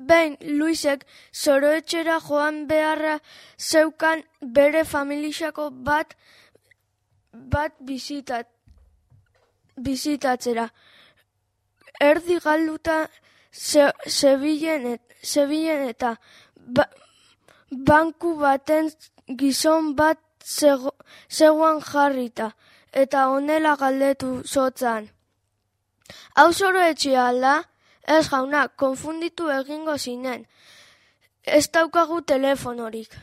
Behin Luisek Zoroetxera joan beharra zeukan bere familiako bat bizitatzera. Erdi galduta zebilen eta banku baten gizon bat zegoen jarrita, eta honela galdetu zotzan. Hau Zoroetxea alda? Ez jauna, konfunditu egingo zinen. Ez daukagu telefonorik.